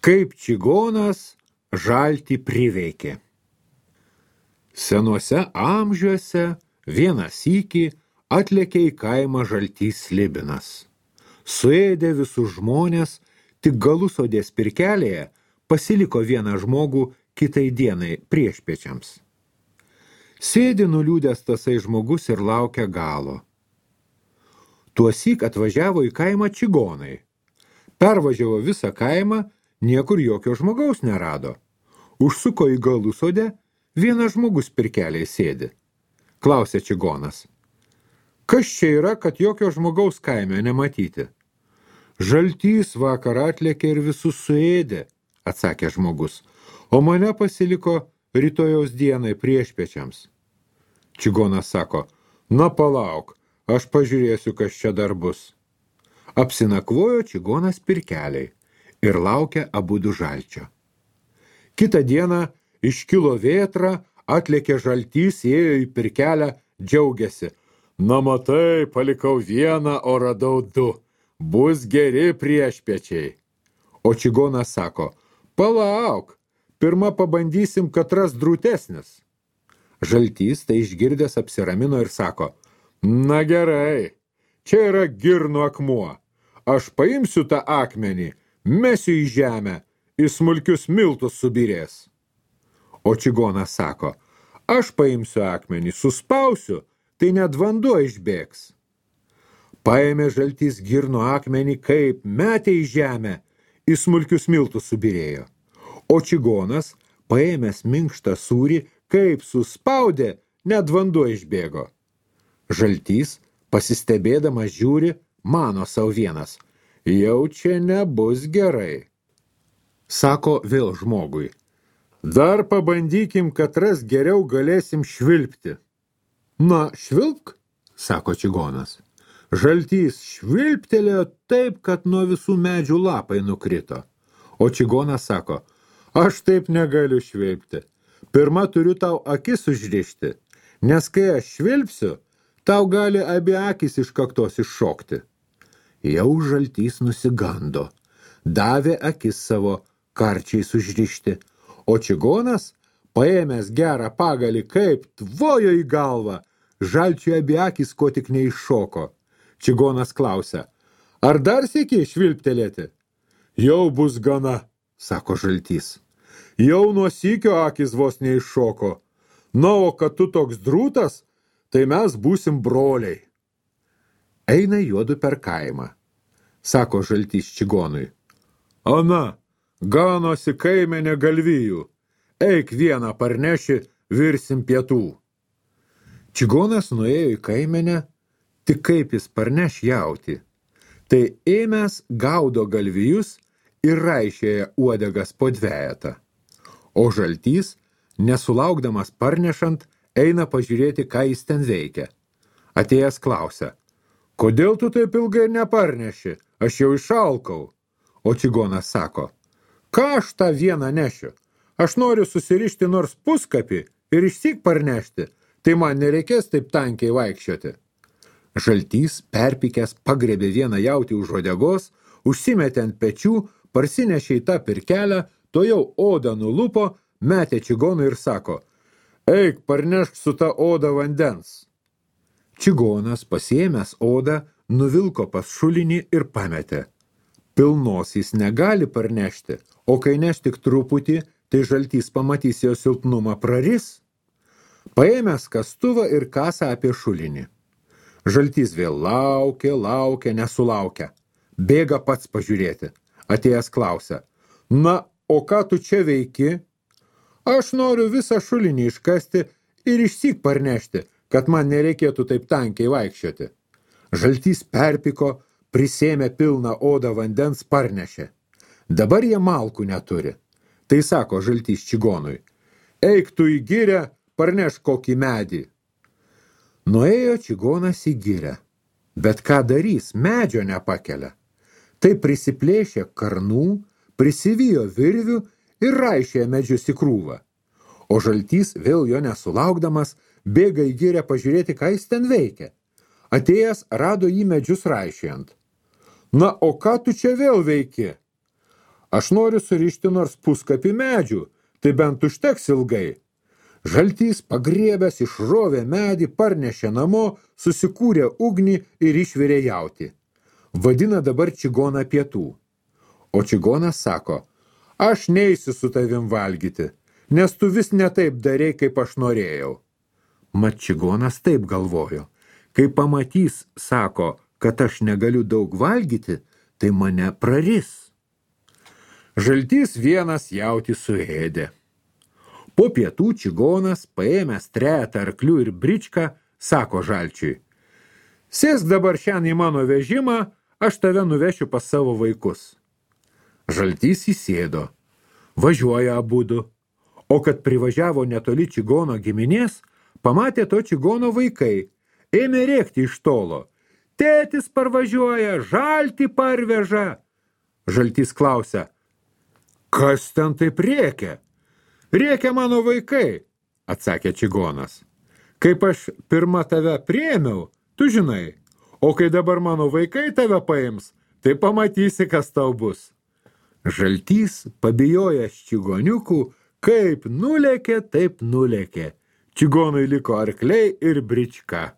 Kaip čigonas žaltį priveikė. Senuose amžiuose vieną sykį atlėkė į kaimą žaltys Slibinas. Suėdė visus žmonės, tik Galusodės pirkelėje pasiliko vieną žmogų kitai dienai priešpiečiams. Sėdi nuliūdęs tasai žmogus ir laukia galo. Tuosyk atvažiavo į kaimą čigonai. Pervažiavo visą kaimą, niekur jokio žmogaus nerado. Užsuko į Galusodę, vienas žmogus pirkeliai sėdi. Klausė čigonas. Kas čia yra, kad jokio žmogaus kaime nematyti? Žaltys vakar atlėkė ir visus suėdė, atsakė žmogus, o mane pasiliko rytojaus dienai priešpiečiams. Čigonas sako, na palauk, aš pažiūrėsiu, kas čia dar bus. Apsinakvojo čigonas pirkeliai ir laukia abudu žalčio. Kitą dieną iškilo vėtra, atlėkė žaltys, ėjo į pirkelę, džiaugiasi. Na matai, palikau vieną, o radau du. Bus geri priešpiečiai. O čigonas sako, palauk, pirma pabandysim, katras drūtesnis. Žaltys tai išgirdęs apsiramino ir sako, na gerai, čia yra girnų akmuo. Aš paimsiu tą akmenį, mesiu į žemę, į smulkius miltus subirės. O čigonas sako, aš paimsiu akmenį, suspausiu, tai net vanduo išbėgs. Paėmė žaltys girnų akmenį, kaip metė į žemę, į smulkius miltus subirėjo. O čigonas, paėmęs minkštą sūrį, kaip suspaudė, net vanduo išbėgo. Žaltys, pasistebėdamas žiūri, mano sau vienas, jau čia nebus gerai. Sako vėl žmogui, dar pabandykim, katras geriau galėsim švilpti. Na, švilpk, sako čigonas. Žaltys švilptelėjo taip, kad nuo visų medžių lapai nukrito. O čigonas sako, aš taip negaliu švilpti. Pirma turiu tau akis užrišti, nes kai aš švilpsiu, tau gali abi akis iš kaktos iššokti. Jau žaltys nusigando, davė akis savo karčiais užrišti, o čigonas, paėmęs gerą pagalį, kaip tvojo į galvą, žalčiui abi akis ko tik neiššoko. Čigonas klausia, ar dar sėki švilptelėti? Jau bus gana, sako žaltys. Jau nuo sykio akis vos neiššoko. Na, o kad tu toks drūtas, tai mes būsim broliai. Eina juodu per kaimą, sako žaltys čigonui. Ana, ganosi kaimenė galvijų. Eik vieną parneši, virsim pietų. Čigonas nuėjo į kaimenę, tik kaip jis parneš jautį. Tai ėmęs gaudo galvijus ir raišėja uodegas po dvejetą. O žaltys, nesulaukdamas parnešant, eina pažiūrėti, ką jis ten veikia. Atėjęs klausia, kodėl tu taip ilgai neparneši? Aš jau išalkau. O čigonas sako, ką aš tą vieną nešiu? Aš noriu susirišti nors puskapį ir išsyk parnešti, tai man nereikės taip tankiai vaikščioti. Žaltys, perpykęs, pagrebė vieną jautį už uodegos, užsimetė ant pečių, parsinešė į tą pirkelę, to jau odą nulupo, metė čigonui ir sako, eik, parnešk su ta oda vandens. Čigonas, pasiėmęs odą, nuvilko pas šulinį ir pametė. Pilnos jis negali parnešti, o kai neš tik truputį, tai žaltys pamatys jo silpnumą praris. Paėmęs kastuvą ir kasą apie šulinį. Žaltys vėl laukia, nesulaukia. Bėga pats pažiūrėti. Atėjęs klausia, na, o ką tu čia veiki? Aš noriu visą šulinį iškasti ir išsyk parnešti, kad man nereikėtų taip tankiai vaikščioti. Žaltys perpiko, prisėmė pilną odą vandens, parnešė. Dabar jie malkų neturi. Tai sako žaltys čigonui, eik tu į girę, parneš kokį medį. Nuėjo čigonas į girę, bet ką darys, medžio nepakelia. Tai prisiplėšė karnų, prisivijo virvių ir raišė medžius į krūvą. O žaltys, vėl jo nesulaukdamas, bėga į girę pažiūrėti, ką jis ten veikia. Atėjęs rado jį medžius raišėjant. Na, o ką tu čia vėl veiki? Aš noriu surišti nors puskapį medžių, tai bent užteks ilgai. Žaltys pagriebęs išrovė medį, parnešė namo, susikūrė ugnį ir išvirė jautį. Vadina dabar čigoną pietų. O čigonas sako, aš neisiu su tavim valgyti, nes tu vis ne taip darei, kaip aš norėjau. Mat čigonas taip galvojo, kai pamatys, sako, kad aš negaliu daug valgyti, tai mane praris. Žaltys vienas jautį suėdė. Po pietų čigonas, paėmęs trejetą arklių ir bričką, sako žalčiui, sėsk dabar šiandien į mano vežimą, aš tave nuvešiu pas savo vaikus. Žaltys įsėdo, važiuoja abudu, o kad privažiavo netoli čigono giminės, pamatė to čigono vaikai, ėmė rėkti iš tolo, tėtis parvažiuoja, žaltį parveža. Žaltys klausia, kas ten taip rėkia? Rėkia mano vaikai, atsakė čigonas. Kaip aš pirma tave priėmiau, tu žinai, o kai dabar mano vaikai tave paims, tai pamatysi, kas tau bus. Žaltys, pabijojęs čigoniukų, kaip nulėkė, taip nulėkė. Čigonui liko arkliai ir brička.